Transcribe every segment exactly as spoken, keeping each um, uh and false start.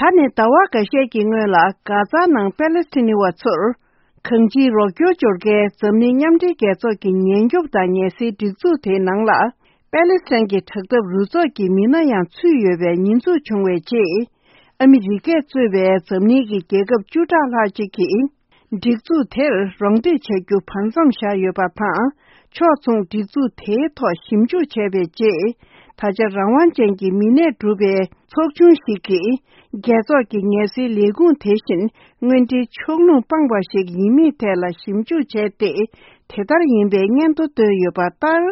ཨ་ནི་ཟླ་བ་འགའ་ཤས་ཀྱི་སྔོན་ལ་གྷ་ཛ་ནང་པེ་ལེ་སི་ཐི་ནི་བ་ཚོར་གང་ཅིའི་རོགས་སྐྱོར་སྦྱོར་མཁན་འཛམ་གླིང་མཉམ་འབྲེལ་རྒྱལ་ཚོགས་ཀྱི་ཉེན་སྐྱོབ་དང་ངལ་སེལ་སྒྲིག་འཛུགས་དེའི་ནང་ལ་པེ་ལེ་སི་ཐན་གྱི་དྲག་འཐབ་རུ་ཚོགས་ཀྱི་མི་སྣ་ཡང་ཚུད་ཡོད་པའི་ཉེས་འཛུགས་བྱུང་བའི་རྗེས། ཨ་མི་རི་ཀས་གཙོས་པའི་འཛམ་གླིང་གི་རྒྱལ་ཁབ་བཅུ་ཕྲག་ལྷག་ཅིག་གིས། སྒྲིག་འཛུགས་དེར་རོགས་འདེགས་བྱ་རྒྱུ་བར་མཚམས་བཞག་ཡོད་པ་དང་། ཕྱོགས་མཚུངས་སྒྲིག་འཛུགས་དེའི་ཐོག་ཞིབ་འཇུག་བྱས་པའི་རྗེས། ད་ཆ་རང་དབང་ཅན་གྱི་མི་སྣས་གྲུབ་པའི་ཚོགས་ཆུང་ཞིག་གིས། རྒྱལ་ཚོགས་ཀྱི་ངལ་སེལ་ལས་ཁུངས་དེ་བཞིན་དངོས་འབྲེལ་ཕྱོགས་ལྷུང་སྤངས་པ་ཞིག་ཡིན་མིན་ཐད་ལ་ཞིབ་འཇུག་བྱས་ཏེ། དེ་ལྟར་ཡིན་པའི་སྙན་ཐོ་བཏོན་ཡོད་པ་ལྟར།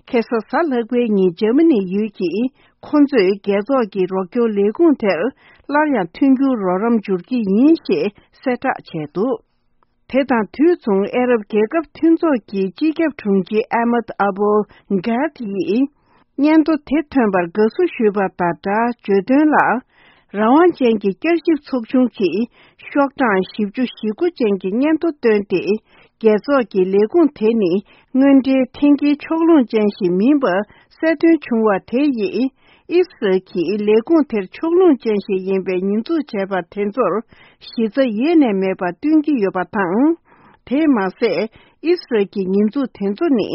ཁ་སང་གཟའ་ལྷག་པའི་ཉིན་འཇར་མ་ནི་ཡུལ་གྱི། ཁོ་ཚོས་རྒྱལ་ཚོགས་ཀྱི་རོགས་སྐྱོར་ལས་ཁུངས་དེར་སླར་ཡང་མཐུན་འགྱུར་རོགས་རམ་སྦྱོར་གྱི་ཡིན་ཞེས་གསལ་བསྒྲགས་བྱས་འདུག་དེ་དང་དུས་མཚུངས། ཨ་རབ་རྒྱལ་ཁབ་མཐུན་ཚོགས་ཀྱི་སྤྱི་ཁྱབ་དྲུང་ཆེ་ཨ་མད་ཨ་བོ་གྷད་ཡིས། སྙན་ཐོ་དེ་ཐོན་པར་དགའ་བསུ་ཞུས་པ་དང་སྦྲགས། བརྗོད་དོན་ལ། རང་དབང་ཅན་གྱི་བསྐྱར་ཞིབ་ཚོགས་ཆུང་གིས། ཤོག་གྲངས་བཞི་བཅུ་ཞེ་དགུ་ཅན་གྱི་སྙན་ཐོ་བཏོན་ཏེ། རྒྱལ་ཚོགས་ཀྱི་ལས་ཁུངས་དེ་ནི། དངོས་འབྲེལ་འཐེན་འཁྱེར་ཕྱོགས་ལྷུང་ཅན་ཞིག་མིན་པ། གསལ་སྟོན་བྱུང་བ་དེ་ཡིས། ཨི་སི་རལ་གྱིས་ལས་ཁུངས་དེར་ཕྱོགས་ལྷུང་ཅན་ཞིག་ཡིན་པའི་ཉེས་འཛུགས་བྱས་པ་དེ་ཚོར་གཞི་རྩ་ཡེ་ནས་མེད་པ་སྟོན་གྱི་ཡོད་པ་དང་། དེས་མ་ཟད། ཨི་སི་རལ་གྱི་ཉེས་འཛུགས་དེ་ཚོ་ནི།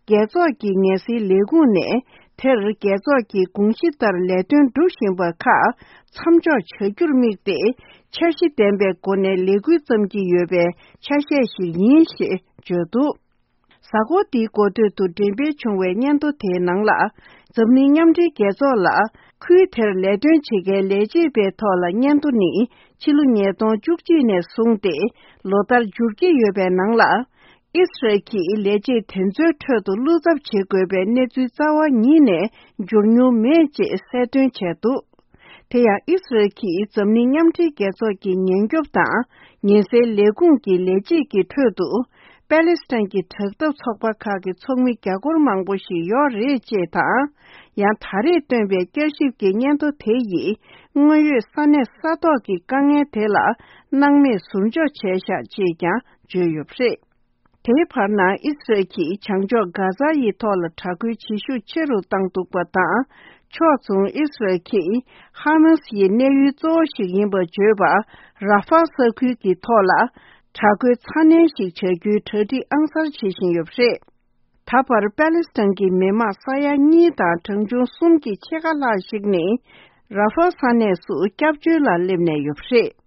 རྒྱལ་ཚོགས་ཀྱི་ངལ་སེལ་ལས་ཁུངས་ནས་དེར་རྒྱལ་ཚོགས་ཀྱི་དགོངས་གཞི་ལྟར་ལས་དོན་སྒྲུབ་བཞིན་པ་ཁག་མཚམས་འཇོག་བྱ་རྒྱུར་དམིགས་ཏེ། འཆར་གཞི་ལྡན་པའི་སྒོ་ནས་ལས་འགུལ་བརྩམས་ཀྱི་ཡོད་པའི་ཆ་ཤས་ཤིག་ཡིན་ཞེས་བརྗོད་འདུག་གཟའ་འཁོར་འདིའི་འགོ་སྟོད་དུ་འགྲེམས་སྤེལ་བྱུང་བའི་སྙན་ཐོ་དེའི་ནང་ལ། འཛམ་གླིང་མཉམ་འབྲེལ་རྒྱལ་ཚོགས་ལ། ཁུལ་དེར་ལས་དོན་བྱེད་མཁན་ལས་བྱེད་པའི་ཐོག་ལ་སྙན་ཐོ་ནི། ཕྱི་ལོ་ཉིས་སྟོང་བཅུ་གཅིག་ནས་བཟུང་སྟེ། ལོ་ལྟར་འབྱོར་གྱི་ཡོད་པའི་ནང་ལ། ཨི་སི་རལ་གྱིས་ལས་བྱེད་དེ་ཚོའི་ཁྲོད་དུ་བློ་འཚབ་བྱེད་དགོས་པའི་གནས་ཚུལ་རྩ་བ་ཉིད་ནས་འབྱོར་མྱོང་མེད་ཅེས་གསལ་སྟོན་བྱས་འདུག་དེ་ཡང་ཨི་སི་རལ་གྱིས་འཛམ་གླིང་མཉམ་འབྲེལ་རྒྱལ་ཚོགས་ཀྱི་ཉེན་སྐྱོབ་དང་ཉེན་སེལ་ལས་ཁུངས་ཀྱི་ལས་བྱེད་ཀྱི་ཁྲོད་དུ། པེ་ལེ་སི་ཐན་གྱི་དྲག་འཐབ་ཚོགས་པ་ཁག་གི་ཚོགས་མི་རྒྱ་སྒོར་མང་པོ་ཞིག་ཡོད་རེད་ཅེས་དང་། ཡང་ད་རེས་བཏོན་པའི་བསྐྱར་ཞིབ་ཀྱི་སྙན་ཐོ་དེ་ཡིས། དངོས་ཡོད་ས་གནས་ས་ཐོག་གི་དཀའ་ངལ་དེ་ལ་སྣང་མེད་ཟུར་འཇོག་བྱས་བཞག་ཅེས་ཀྱང་བརྗོད་ཡོད་པ་རེད། དེའི་བར་ན་ཨི་སི་རལ་གྱིས་བྱང་ཕྱོགས་གྷ་ཛ་ཡི་ཐོག་ལ་དྲག་རྒོལ་བྱེད་ཤུགས་ཆེ་རུ་བཏང་འདུག་པ་དང་། ཕྱོགས་མཚུངས་ཨི་སི་རལ་གྱིས་ཧ་མཱ་སི་ཡི་གནས་ཡུལ་གཙོ་བོ་ཞིག་ཡིན་པར་བརྗོད་པ་ར་ཧྥ་ས་ཁུལ་གྱི་ཐོག་ལ་དྲག་རྒོལ་ཚ་ནན་ཞིག་བྱ་རྒྱུའི་གྲ་སྒྲིག་ཨང་གསར་བྱེད་བཞིན་ཡོད་པ་རེད། ད་བར་པེ་ལེ་སི་ཐན་གྱི་མི་དམངས་ས་ཡ་གཉིས་དང་གྲངས་ཆུང་གསུམ་གྱི་ཕྱེད་ཀ་ལྷག་ཞིག་ནི་ར་ཧྥ་ས་གནས་སུ་སྐྱབས་བཅོལ་ལ་སླེབས་ནས་ཡོད་པ་རེད།